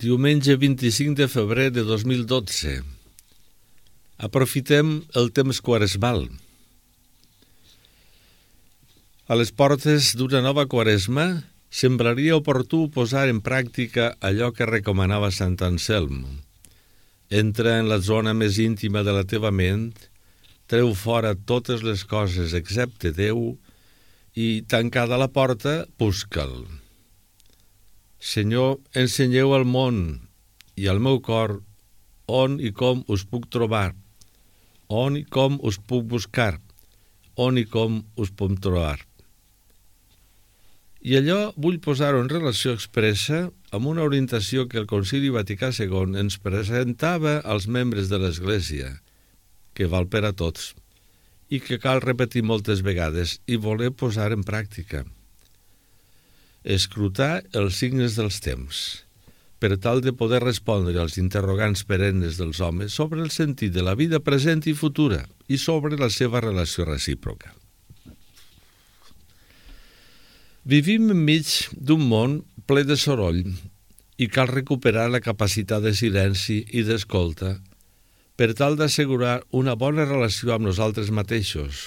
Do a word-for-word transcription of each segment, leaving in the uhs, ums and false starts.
Diumenge vint-i-cinc de febrer de dos mil dotze. Aprofitem el temps quaresmal. A les portes d'una nova quaresma, semblaria oportú posar en pràctica allò que recomanava Sant Anselm. Entra en la zona més íntima de la teva ment, treu fora totes les coses excepte Déu i, tancada la porta, busca'l. Senyor, ensenyeu al món i al meu cor on i com us puc trobar, on i com us puc buscar, on i com us puc trobar. I allò vull posar-ho en relació expressa amb una orientació que el Concili Vaticà segon ens presentava als membres de l'Església, que val per a tots, i que cal repetir moltes vegades i voler posar en pràctica. Escrutar els signes dels temps, per tal de poder respondre als interrogants perennes dels homes sobre el sentit de la vida present i futura i sobre la seva relació recíproca. Vivim enmig d'un món ple de soroll i cal recuperar la capacitat de silenci i d'escolta per tal d'assegurar una bona relació amb nosaltres mateixos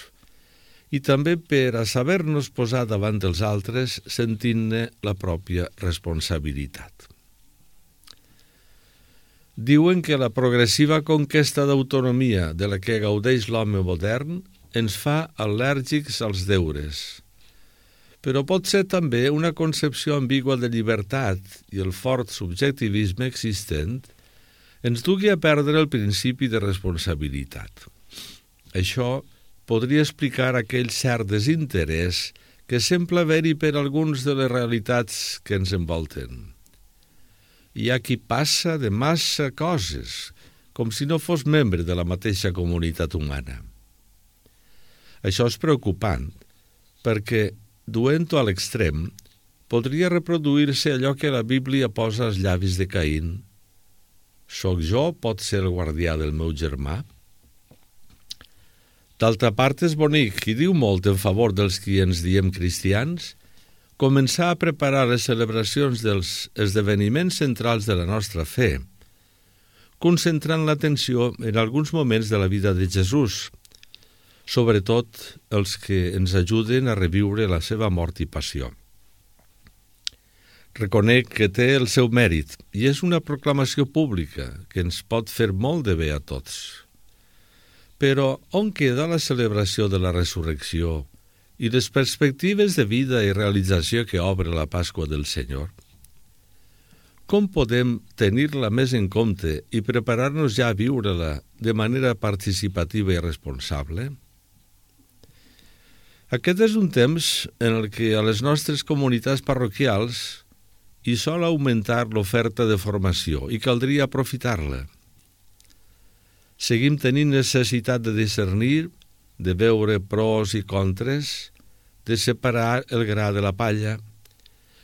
i també per a saber-nos posar davant dels altres sentint-ne la pròpia responsabilitat. Diuen que la progressiva conquesta d'autonomia de la que gaudeix l'home modern ens fa al·lèrgics als deures, però pot ser també una concepció ambigua de llibertat i el fort subjectivisme existent ens dugui a perdre el principi de responsabilitat. Això podria explicar aquell cert desinterès que sembla haver-hi per alguns de les realitats que ens envolten. Hi ha qui passa de massa coses, com si no fos membre de la mateixa comunitat humana. Això és preocupant, perquè, duent-ho a l'extrem, podria reproduir-se allò que la Bíblia posa als llavis de Caín. Soc jo, pot ser el guardià del meu germà? D'altra part, és bonic, i diu molt en favor dels qui ens diem cristians, començar a preparar les celebracions dels esdeveniments centrals de la nostra fe, concentrant l'atenció en alguns moments de la vida de Jesús, sobretot els que ens ajuden a reviure la seva mort i passió. Reconec que té el seu mèrit i és una proclamació pública que ens pot fer molt de bé a tots. Però on queda la celebració de la resurrecció i les perspectives de vida i realització que obre la Pasqua del Senyor? Com podem tenir-la més en compte i preparar-nos ja a viure-la de manera participativa i responsable? Aquest és un temps en el que a les nostres comunitats parroquials hi sol augmentar l'oferta de formació i caldria aprofitar-la. Seguim tenint necessitat de discernir, de veure pros i contres, de separar el gra de la palla,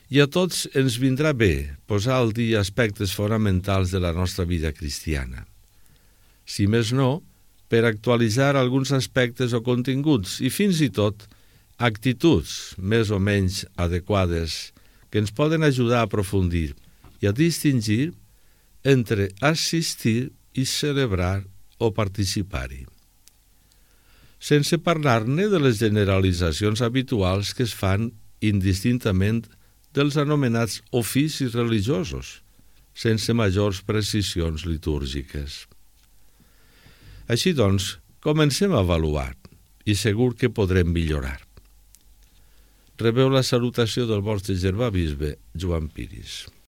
i a tots ens vindrà bé posar al dia aspectes fonamentals de la nostra vida cristiana. Si més no, per actualitzar alguns aspectes o continguts i fins i tot actituds més o menys adequades que ens poden ajudar a aprofundir i a distingir entre assistir i celebrar o participar-hi. Sense parlar-ne de les generalitzacions habituals que es fan indistintament dels anomenats oficis religiosos, sense majors precisions litúrgiques. Així doncs, comencem a avaluar i segur que podrem millorar. Rebeu la salutació del vostre germà bisbe, Joan Piris.